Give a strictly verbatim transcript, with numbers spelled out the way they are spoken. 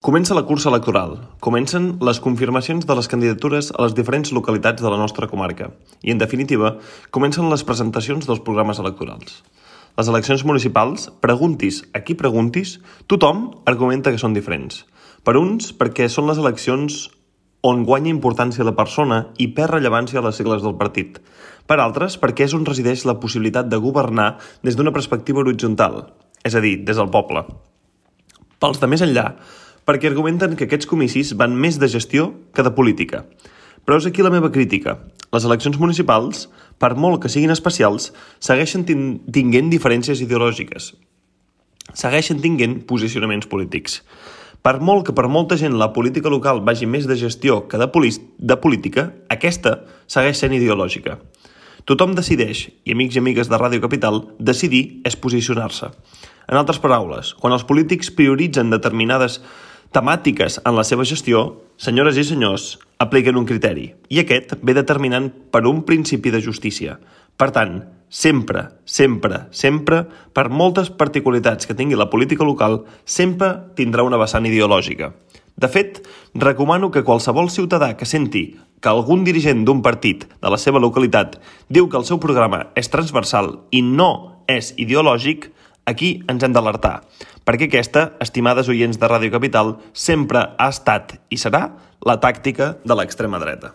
Comença la cursa electoral. Comencen les confirmacions de les candidatures a les diferents localitats de la nostra comarca. I, en definitiva, comencen les presentacions dels programes electorals. Les eleccions municipals, preguntis a qui preguntis, tothom argumenta que són diferents. Per uns, perquè són les eleccions on guanya importància la persona i perd rellevància a les sigles del partit. Per altres, perquè és on resideix la possibilitat de governar des d'una perspectiva horitzontal, és a dir, des del poble. Pels de més enllà, perquè argumenten que aquests comicis van més de gestió que de política. Però és aquí la meva crítica. Les eleccions municipals, per molt que siguin especials, segueixen tinguent diferències ideològiques. Segueixen tinguent posicionaments polítics. Per molt que per molta gent la política local vagi més de gestió que de, de política, aquesta segueix sent ideològica. Tothom decideix, i amics i amigues de Ràdio Capital, decidir és posicionar-se. En altres paraules, quan els polítics prioritzen determinades temàtiques en la seva gestió, senyores i senyors, apliquen un criteri, i aquest ve determinant per un principi de justícia. Per tant, sempre, sempre, sempre, per moltes particularitats que tingui la política local, sempre tindrà una vessant ideològica. De fet, recomano que qualsevol ciutadà que senti que algun dirigent d'un partit de la seva localitat diu que el seu programa és transversal i no és ideològic, aquí ens hem d'alertar, perquè aquesta, estimades oients de Ràdio Capital, sempre ha estat i serà la tàctica de l'extrema dreta.